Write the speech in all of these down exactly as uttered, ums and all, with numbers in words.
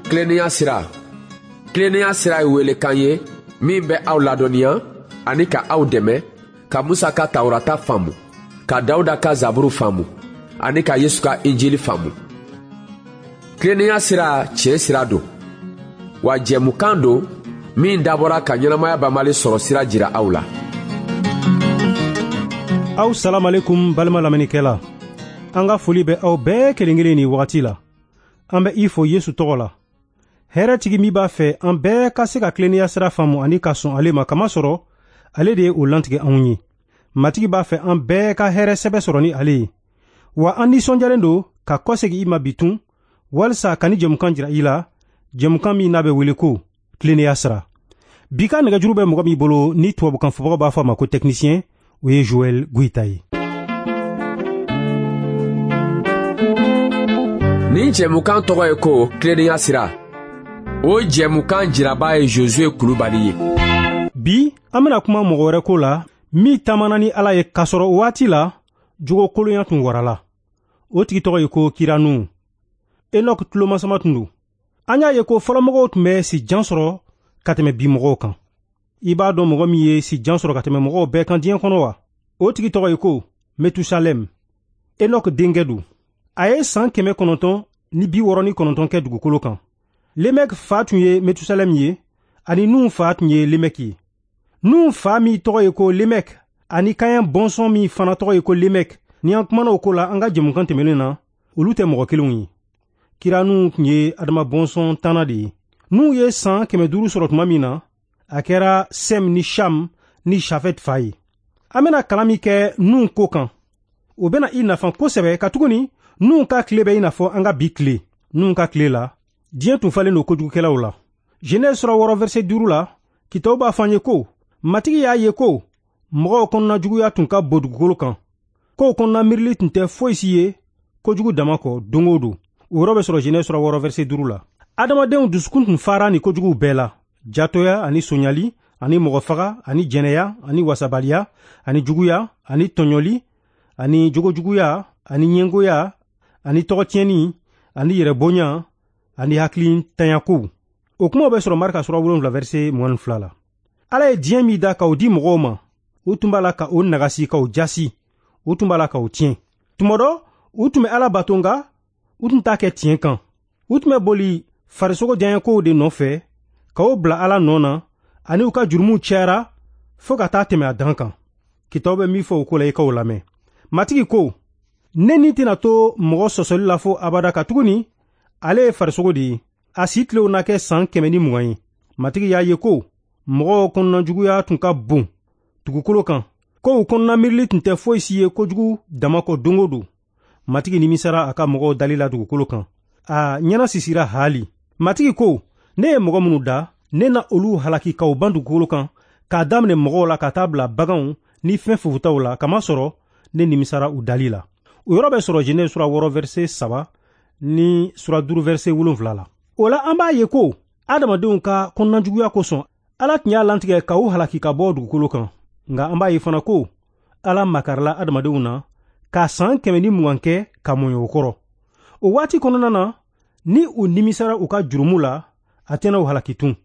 Tilennenya sira. Tilennenya sira ye welekan ye min bɛ aw ladɔnniya ani ka aw dɛmɛ ka Musa ka Tawurata faamu, ka Dawuda ka Zaburu faamu ani ka Yesu ka Injili faamu. Tilennenya sira tiɲɛ sira don, wa jɛmukan don min dabɔra ka ɲɛnamaya banbali sɔrɔ sira jira aw la. Aw salamalekum balima lamɛnnikɛla. An ka foli bɛ aw bɛɛ kelen kelen nin wagati la. An bɛ i fo Yesu tɔgɔ la. Hɛrɛtigi min b'a fɛ an bɛɛ ka se ka tilennenya sira faamu ani ka sɔn ale ma, kamasɔrɔ ale de ye o lantigɛ anw ye. Matigi b'a fɛ an bɛɛ ka hɛrɛ sɛbɛ sɔrɔ ni ale ye. Wa an nisɔndiyalen don ka kɔsegin i ma bi tun walisa ka ni jɛmukan jira i la, jɛmukan min n'a bɛ wele ko tilennenya sira. Bi ka nɛgɛjuru bɛ mɔgɔ min bolo ni tubabukan fɔbagaw b'a fɔ a ma ko technicien, o ye Joël Goïta ye. Nin jɛmukan tɔgɔ ye ko tilennenya sira. O jɛmukan jiraba ye Josué Kulubali ye. Bi an bɛna kuma mɔgɔ wɛrɛ ko la min taamana ni Ala ye k'a sɔrɔ o waati la jogo kolonya tun warala. O tigi tɔgɔ ye ko Kira Nuhu. Enoch tulomasama tun don. An y'a ye ko fɔlɔmɔgɔw tun bɛ si jan sɔrɔ ka tɛmɛ bi mɔgɔw kan. I b'a dɔn mɔgɔ min ye si jan sɔrɔ ka tɛmɛ mɔgɔw bɛɛ kan diɲɛ kɔnɔ wa? O tigi tɔgɔ ye ko Metusalem. Enoch denkɛ don. A ye san kɛmɛ kɔnɔntɔn ni bi wɔɔrɔ ni kɔnɔntɔn kɛ dugukolo kan. Lemɛk fa tun ye Metusalem ye, ani Nuhu fa tun ye Lemɛk ye. Nuhu fa min tɔgɔ ye ko Lemɛk, ani Kaɲan bɔnsɔn min fana tɔgɔ ye ko Lemɛk, ni an kumana o ko la an ka jɛmukan tɛmɛnen na, olu tɛ mɔgɔ kelenw ye. Kira Nuhu tun ye Adama bɔnsɔn tanna de ye. Nuhu ye san kɛmɛ duuru sɔrɔ tuma min na, a kɛra Sɛm ni Sham ni Shafet fa ye. An bɛna kalan min kɛ Nuhu ko kan, o bɛna i nafa kosɛbɛ, katuguni Nuhu ka tile bɛ i n'a fɔ an ka bi tile. Nuhu ka tile la, diɲɛ tun falen don kojugukɛlaw la. Genèse sura wɔɔrɔ verset duuru la, kitabu b'a fɔ an ye ko Matigi y'a ye ko mɔgɔw kɔnɔna juguya tun ka bon dugukolo kan, kow kɔnɔna miirili tun tɛ foyi si ye kojugu dama kɔ don o don. O yɔrɔ bɛ sɔrɔ Genèse sura wɔɔrɔ verset duuru la. Adamadenw dusukun tun fara ni kojuguw bɛɛ la: jatoya ani sonyali ani mɔgɔfaga ani jɛnɛya ani wasabaliya ani juguya ani tɔɲɔli ani jogojuguya ani ɲɛngoya ani tɔgɔtiɲɛni ani yɛrɛbonya ani hakilintanya-kow. O kumaw bɛ sɔrɔ Marika sura wolonwula verset mugan ni fila la. Ala ye diɲɛ min da k'o di mɔgɔw ma, u tun b'a la ka o nagasi, k'o jasi, u tun b'a la k'o tiɲɛ. Tuma dɔ, u tun bɛ Ala bato, nka u tun t'a kɛ tiɲɛ kan. U tun bɛ boli farisogo diyaɲɛkow de nɔfɛ k'o bila Ala nɔ na, ani u ka jurumuw cayara fo ka taa tɛmɛ a dan kan. Kitabu bɛ min fɔ o ko la, i k'o lamɛn. Matigi ko, ne ni tɛna to mɔgɔ sɔsɔli la fo abada, katuguni ale ye farisogo de ye. A si tilew na kɛ san kɛmɛ ni mugan ye. Matigi y'a ye ko mɔgɔw kɔnɔna juguya tun ka bon dugukolo kan, kow kɔnɔna miirili tun tɛ foyi si ye kojugu dama kɔ don o don. Matigi nimisara a ka mɔgɔw dali la dugukolo kan. A ɲɛna sisira haali. Matigi ko, ne ye mɔgɔ minnu da, ne na olu halaki k'u ban dugukolo kan, k'a daminɛ mɔgɔw la ka taa bila baganw ni fɛn fofutaw la, kamasɔrɔ ne nimisara u dali la. O yɔrɔ bɛ sɔrɔ Genèse sura wɔɔrɔ verset saba ni sura duuru verset wolonwula la. O la an b'a ye ko adamadenw ka kɔnɔnajuguya kosɔn, Ala tun y'a lantigɛ ka u halaki ka bɔ dugukolo kan. Nka an b'a ye fana ko Ala makarila adamadenw na ka san kɛmɛ ni mugan kɛ ka mɔɲɔ o kɔrɔ. O waati kɔnɔna na, ni u nimisara u ka jurumu la, a tɛna u halaki tun.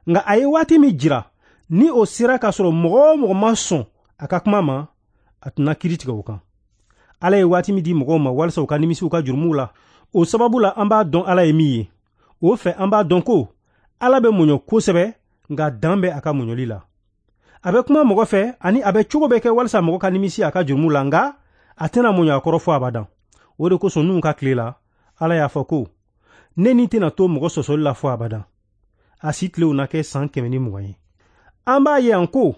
Nka a ye waati min jira, ni o sera k'a sɔrɔ mɔgɔ o mɔgɔ ma sɔn a ka kuma ma, a tɛna kiiri tigɛ o kan. Ala ye waati min di mɔgɔw ma walisa u ka nimisi u ka jurumuw la, o sababu la an b'a dɔn Ala ye min ye. O fɛ an b'a dɔn ko Ala bɛ muɲu kosɛbɛ, nka dan bɛ a ka muɲuli la. A bɛ kuma mɔgɔ fɛ ani a bɛ cogo bɛɛ kɛ walisa mɔgɔ ka nimisi a ka jurumu la, nka a tɛna muɲu a kɔrɔ fo abadan. O de kosɔn Nuhu ka tile la, Ala y'a fɔ ko ne ni tɛna to mɔgɔ sɔsɔli la fo abadan. A si tilew na kɛ san kɛmɛ ni mugan ye. An b'a ye yan ko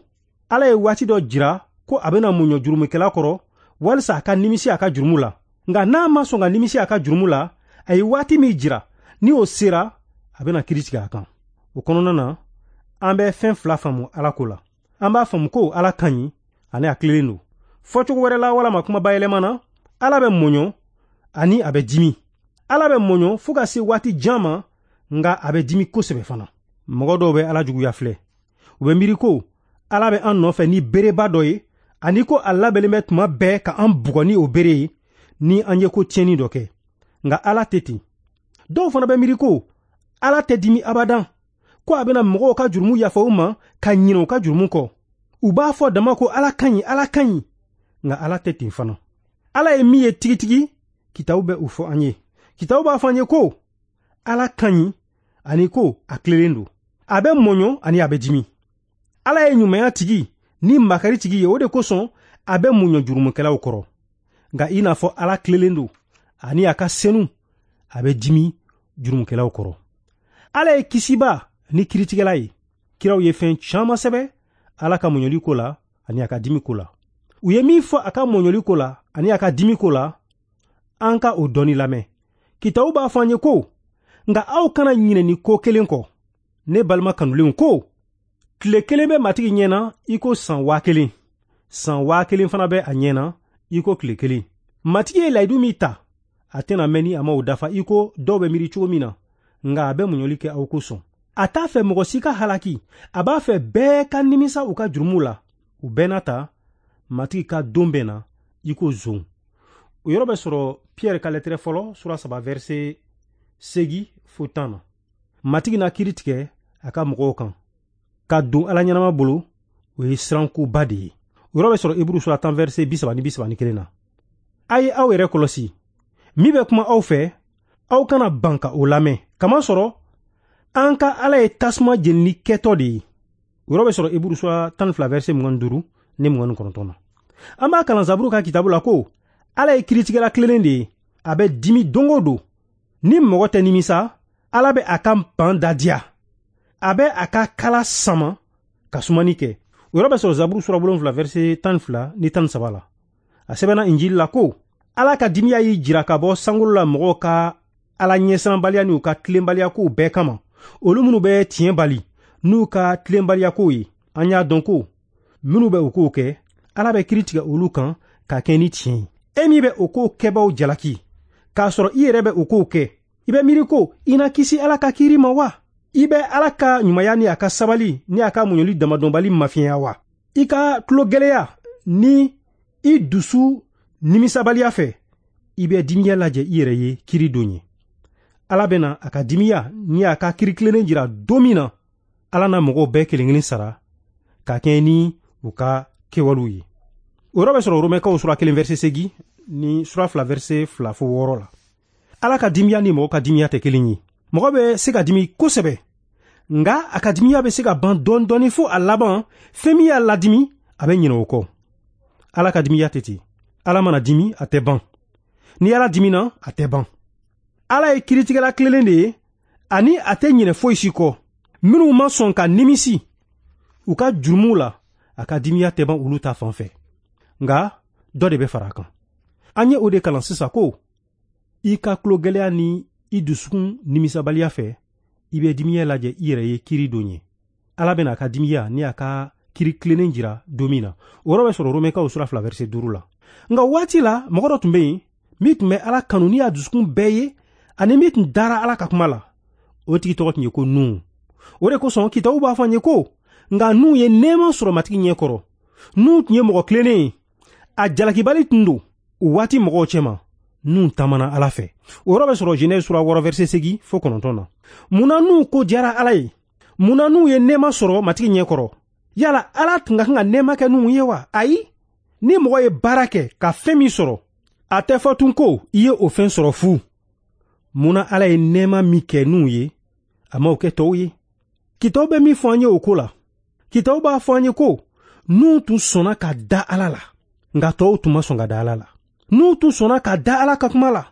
Ala ye waati dɔ jira ko a bɛna muɲu jurumukɛla kɔrɔ walisa a ka nimisi a ka jurumu la. Nka n'a ma sɔn ka nimisi a ka jurumu la, a ye waati min jira, ni o sera, a bɛna kiiri tigɛ a kan. O kɔnɔna na, an bɛ fɛn fila faamu Ala ko la. An b'a faamu ko Ala ka ɲi ani a tilennen don. Fɔcogo wɛrɛ la walama kuma bayɛlɛma na, Ala bɛ mɔɲɔ ani a bɛ dimi. Ala bɛ mɔɲɔ fo ka se waati jan ma, nka a bɛ dimi kosɛbɛ fana. Mɔgɔ dɔw bɛ Ala juguya filɛ. U bɛ miiri ko Ala bɛ an nɔfɛ ni bereba dɔ ye, ani ko a labɛnnen bɛ tuma bɛɛ ka an bugɔ ni o bere ye ni an ye ko tiɲɛni dɔ kɛ. Nka Ala tɛ ten. Dɔw fana bɛ miiri ko Ala tɛ dimi abadan, ko a bɛna mɔgɔw ka jurumu yafa u ma ka ɲinɛ u ka jurumu kɔ. U b'a fɔ dama ko Ala ka ɲi, Ala ka ɲi, nka Ala tɛ ten fana. Ala ye min ye tigitigi, kitabu bɛ o fɔ an ye. Kitabu b'a fɔ an ye ko Ala ka ɲi ani ko a tilelen don. A bɛ mɔɲɔ ani a bɛ dimi. Ala ye ɲumanya tigi ni makari tigi ye, o de kosɔn a bɛ muɲɔ jurumukɛlaw kɔrɔ. Nka i n'a fɔ Ala tilelen don ani a ka senu, a bɛ dimi jurumukɛlaw kɔrɔ. Ala ye kisiba ni kiritigɛla ye. Kiraw ye fɛn caman sɛbɛn Ala ka muɲɔli ko la ani a ka dimi ko la. U ye min fɔ a ka mɔɲɔli ko la ani a ka dimi ko la, an ka o dɔɔni lamɛn. Kitabu b'a fɔ an ye ko, nka aw kana ɲinɛ nin ko kelen kɔ. Ne balima kanulenw ko, tile kelen bɛ Matigi ɲɛna i ko san waa kelen. San waa kelen fana bɛ a ɲɛna i ko tile kelen. Matigi ye layidu min ta, a tɛna mɛn ni a ma o dafa i ko dɔw bɛ miiri cogo min na, nka a bɛ muɲɔli kɛ aw kosɔn. A t'a fɛ mɔgɔ si ka halaki, a b'a fɛ bɛɛ ka nimisa u ka jurumu la. U bɛɛ n'a ta, Matigi ka don bɛ na i ko zon. O yɔrɔ bɛ sɔrɔ Pierre ka lɛtɛrɛ fɔlɔ sura saba verset segi fo tan na. Matigi na kiiri tigɛ a ka mɔgɔw kan. Ka don Ala ɲɛnama bolo, o ye sirankoba de ye. O yɔrɔ bɛ sɔrɔ Heburu sura tan verset bi saba ni bi saba ni kelen na. A ye aw yɛrɛ kɔlɔsi. Min bɛ kuma aw fɛ, aw kana ban ka o lamɛn. Kamasɔrɔ an ka Ala ye tasuma jenili kɛtɔ de ye. O yɔrɔ bɛ sɔrɔ Heburu sura tan ni fila verset mugan ni duuru ni mugan ni kɔnɔntɔn na. An b'a kalan Zaburu ka kitabu la ko Ala ye kiritigɛla tilelen de ye. A bɛ dimi don o don. Ni mɔgɔ tɛ nimisa, Ala bɛ a ka ban da diya. A bɛ a ka kala sama ka sumani kɛ. O yɔrɔ bɛ sɔrɔ Zaburu sura wolonwula verset tan ni fila ni tan ni saba la. A sɛbɛnna Injili la ko Ala ka dimiya y'i jira ka bɔ sankolo la mɔgɔw ka Ala ɲɛsiranbaliya n'u ka tilenbaliya kow bɛɛ kama. Olu minnu bɛ tiɲɛ bali n'u ka tilenbaliya kow ye, an y'a dɔn ko minnu bɛ o kow kɛ, Ala bɛ kiiri tigɛ olu kan ka kɛ ni tiɲɛ ye. E min bɛ o kow kɛbaaw jalaki, k'a sɔrɔ i yɛrɛ bɛ o kow kɛ, i bɛ miiri ko i na kisi Ala ka kiiri ma wa? I bɛ Ala ka ɲumanya ni a ka sabali ni a ka muɲuli damadɔnbali mafiɲɛya wa? I ka tulogɛlɛya ni i dusu nimisabaliya fɛ, i bɛ dimiya lajɛ i yɛrɛ ye kiiri don ye. Ala bɛna a ka dimiya ni a ka kiiri tilennen jira don min na, Ala na mɔgɔw bɛɛ kelen kelen sara ka kɛɲɛ ni u ka kɛwalew ye. O yɔrɔ bɛ sɔrɔ Romɛkaw sura kelen verset seegin ni sura fila verset fila fo wɔɔrɔ la. Ala ka dimiya ni mɔgɔ ka dimiya tɛ kelen ye. Mɔgɔ bɛ se ka dimi kosɛbɛ, nka a ka dimiya bɛ se ka ban dɔɔni dɔɔni fo a laban fɛn min y'a ladimi, a bɛ ɲinɛ o kɔ. Ala ka dimiya tɛ ten. Ala mana dimi, a tɛ ban. Ni Ala dimina, a tɛ ban. Ala ye kiritigɛla tilelen de ye, ani a tɛ ɲinɛ foyi si kɔ. Minnu ma sɔn ka nimisi u ka jurumuw la, a ka dimiya tɛ ban olu ta fan fɛ. Nka dɔ de bɛ fara a kan. An ye o de kalan sisan ko i ka tulogɛlɛya ni i dusukun nimisabaliya fɛ, i bɛ dimiya lajɛ i yɛrɛ ye kiiri don ye. Ala bɛna a ka dimiya ni a ka kiiri tilennen jira don min na. O yɔrɔ bɛ sɔrɔ Romɛkaw sura fila verset duuru la. Nka waati la, mɔgɔ dɔ tun bɛ yen min tun bɛ Ala kanu ni a dusukun bɛɛ ye, ani min tun dara Ala ka kuma la. O tigi tɔgɔ tun ye ko Nuhu. O de kosɔn kitabu b'a fɔ an ye ko nka Nuhu ye nɛɛma sɔrɔ Matigi ɲɛ kɔrɔ. Nuhu tun ye mɔgɔ tilennen ye, a jalakibali tun don o waati mɔgɔw cɛma. Nuhu taamana Ala fɛ. O yɔrɔ bɛ sɔrɔ Genèse sura wɔɔrɔ verset seegin fo kɔnɔntɔn na. Munna Nuhu ko diyara Ala ye? Munna Nuhu ye nɛɛma sɔrɔ Matigi ɲɛ kɔrɔ? Yala Ala tun ka kan ka nɛɛma kɛ Nuhu ye wa? Ayi. Ni mɔgɔ ye baara kɛ ka fɛn min sɔrɔ, a tɛ fɔ tun ko i ye o fɛn sɔrɔ fu. Munna Ala ye nɛɛma min kɛ Nuhu ye, a m'o kɛ tɔw ye? Kitabu bɛ min fɔ an ye o ko la, kitabu b'a fɔ an ye ko Nuhu tun sɔnna ka da Ala la, nka tɔw tun ma sɔn ka da Ala la. Nuhu tun sɔnna ka da Ala ka kuma la.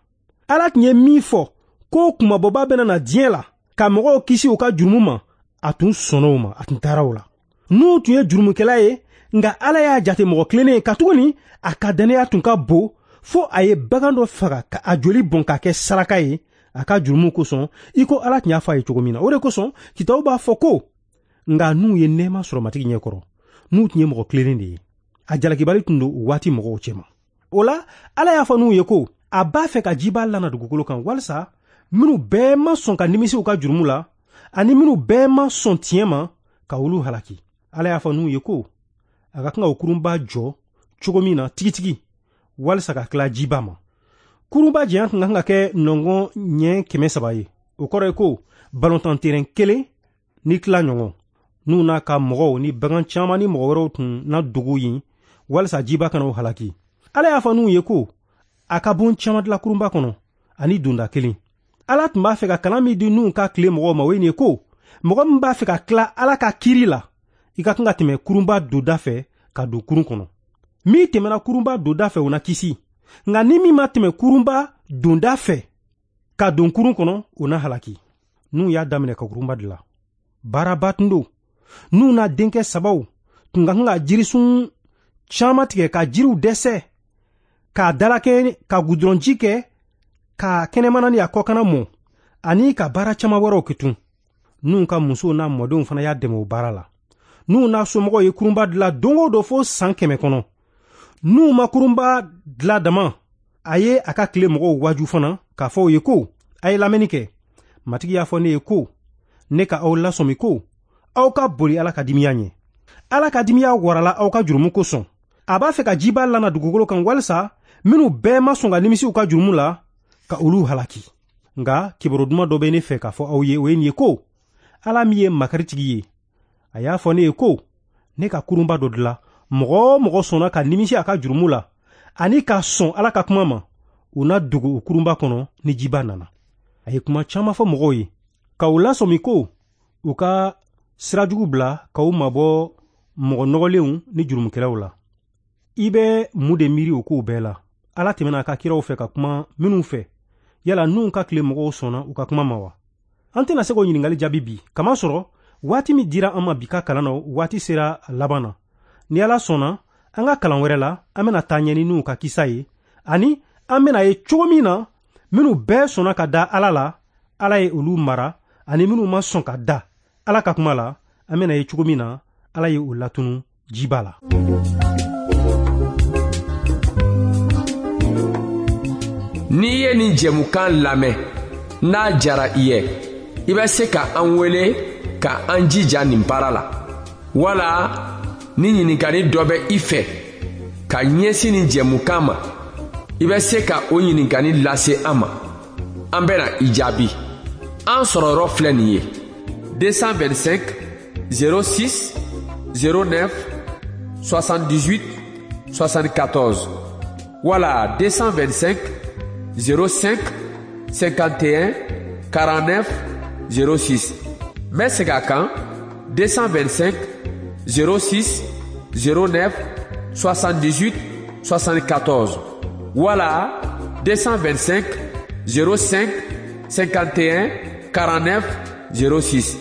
Ala tun ye min fɔ ko kunmabɔba bɛna na diɲɛ la ka mɔgɔw kisi u ka jurumu ma, a tun sɔnna o ma, a tun taara o la. Nuhu tun ye jurumukɛla ye, nka Ala y'a jate mɔgɔ tilennen ye, katuguni a ka dannaya tun ka bon fo a ye bagan dɔ faga ka a joli bɔn ka kɛ saraka ye a ka jurumu kosɔn, i ko Ala tun y'a fɔ a ye cogo min na. O de kosɔn kitabu b'a fɔ ko nka Nuhu ye nɛɛma sɔrɔ Matigi ɲɛ kɔrɔ. Nuhu tun ye mɔgɔ tilennen de ye, a jalakibali tun don o waati mɔgɔw cɛma. O la, Ala y'a fɔ Nuhu ye ko a b'a fɛ ka jiba lana dugukolo kan, walisa minnu bɛɛ ma sɔn ka nimisi u ka jurumu la, ani minnu bɛɛ ma sɔn tiɲɛ ma, ka olu halaki. Ala y'a fɔ Nuhu ye ko a ka kan ka o kurunba jɔ cogo min na tigitigi, walisa ka tila jiba ma. Kurunba janya tun ka kan ka kɛ nɔngɔn ɲɛ kɛmɛ saba ye. O kɔrɔ ye ko balontan terɛn kelen ni tila ɲɔgɔn. N'u n'a ka mɔgɔw ni bagan caman ni mɔgɔ wɛrɛw tun na dogo yen walisa jiba kana o halaki. Ala y'a fɔ Nuhu ye ko a ka bon caman dilan kurunba kɔnɔ ani donda kelen. Ala tun b'a fɛ ka kalan min di Nuhu ka tile mɔgɔw ma, o ye nin ye ko mɔgɔ min b'a fɛ ka tila Ala ka kiri la, i ka kan ka tɛmɛ kurunba donda fɛ ka don kurun kɔnɔ. Min tɛmɛna kurunba donda fɛ, o na kisi. Nka ni min ma tɛmɛ kurunba donda fɛ ka don kurun kɔnɔ, o na halaki. Nuhu y'a daminɛ ka kurunba dilan. Baaraba tun don. Nuhu n'a denkɛ sabaw tun ka kan ka jirisun caman tigɛ ka jiriw dɛsɛ, k'a dalakɛ, ka gudɔrɔnji kɛ, ka kɛnɛmana ni a kɔkanna mɔ, ani ka baara caman wɛrɛw kɛ tun. Nuhu ka musow n'a mɔdenw fana y'a dɛmɛ o baara la. Nuhu n'a somɔgɔw ye kurunba dilan don o don fo san kɛmɛ kɔnɔ. Nuhu ma kurunba dilan dama, a ye a ka tile mɔgɔw waaju fana k'a fɔ u ye ko a ye lamɛnni kɛ. Matigi y'a fɔ ne ye ko ne ka aw lasɔmi ko aw ka boli Ala ka dimiya ɲɛ. Ala ka dimiya warala aw ka jurumu kosɔn. A b'a fɛ ka jiba lana dugukolo kan walisa minnu bɛɛ ma sɔn ka nimisi u ka jurumu la, ka olu halaki. Nka kibaru duman dɔ bɛ ne fɛ k'a fɔ aw ye, o ye nin ye ko Ala min ye makaritigi ye, a y'a fɔ ne ye ko ne ka kurunba dɔ dilan. Mɔgɔ o mɔgɔ sɔnna ka nimisi a ka jurumu la ani ka sɔn Ala ka kuma ma, u na dogo o kurunba kɔnɔ ni jiba nana. A ye kuma caman fɔ mɔgɔw ye ka u lasɔmi ko u ka sira jugu bila, ka u mabɔ mɔgɔ nɔgɔlenw ni jurumukɛlaw la. I bɛ mun de miiri o kow bɛɛ la? Ala tɛmɛna a ka kiraw fɛ ka kuma minnu fɛ, yala Nuhu ka tile mɔgɔw sɔnna u ka kuma ma wa? An tɛna se k'o ɲininkali jaabi bi, kamasɔrɔ waati min dira an ma bi ka kalan na, waati sera a laban na. Ni Ala sɔnna, an ka kalan wɛrɛ la, an bɛna taa ɲɛ ni Nuhu ka kisa ye, ani an bɛna ye cogo min na minnu bɛɛ sɔnna ka da Ala la, Ala ye olu mara, ani minnu ma sɔn ka da Ala ka kuma la, an bɛna ye cogo min na Ala ye o latunu jiba la. N'i ye nin jɛmukan lamɛn, n'a jara i ye, i bɛ se ka an wele ka an jija nin baara la. Wala ni ɲininkali dɔ bɛ i fɛ ka ɲɛsin nin jɛmukan ma, i bɛ se ka o ɲininkali lase an ma. An bɛna i jaabi. An sɔrɔ yɔrɔ filɛ nin ye: deux cent vingt-cinq zéro six zéro neuf soixante-dix-huit soixante-quatorze wala deux cent vingt-cinq zéro cinq cinquante et un quarante-neuf zéro six. N bɛ segin a kan: deux cent vingt-cinq zéro six zéro neuf soixante-dix-huit soixante-quatorze wala deux cent vingt-cinq zéro cinq cinquante et un quarante-neuf zéro six.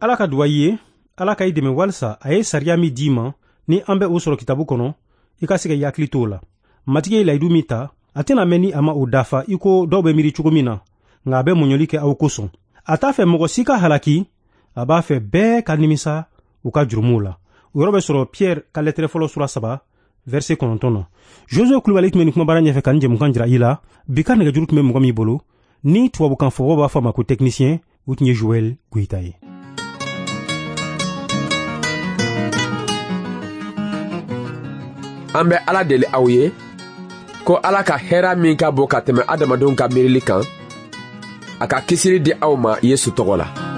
Ala ka duwa i ye, Ala ka i dɛmɛ walisa a ye sariya min d'i ma, ni an bɛ o sɔrɔ kitabu kɔnɔ, i ka se ka i hakili t'o la. Matigi ye layidu min ta, a tɛna mɛn ni a ma o dafa i ko dɔw bɛ miiri cogo min na, nka a bɛ muɲuli kɛ aw kosɔn. A t'a fɛ mɔgɔ si ka halaki, a b'a fɛ bɛɛ ka nimisa u ka jurumuw la. O yɔrɔ bɛ sɔrɔ Pierre ka lɛtɛrɛ fɔlɔ sura saba verset kɔnɔntɔn na. Josue Kulubali tun bɛ nin kumabara ɲɛfɛ ka nin jɛmukan jira i la. Bi ka nɛgɛjuru tun bɛ mɔgɔ min bolo, ni tubabukan fɔbɔ b'a fɔ a ma ko technicien, o tun ye Joël Goyita ye. An bɛ Ala deli aw ye ko Ala ka hɛrɛ min ka bon ka tɛmɛ adamadenw ka miirili kan, a ka kisili di aw ma Yesu tɔgɔ la.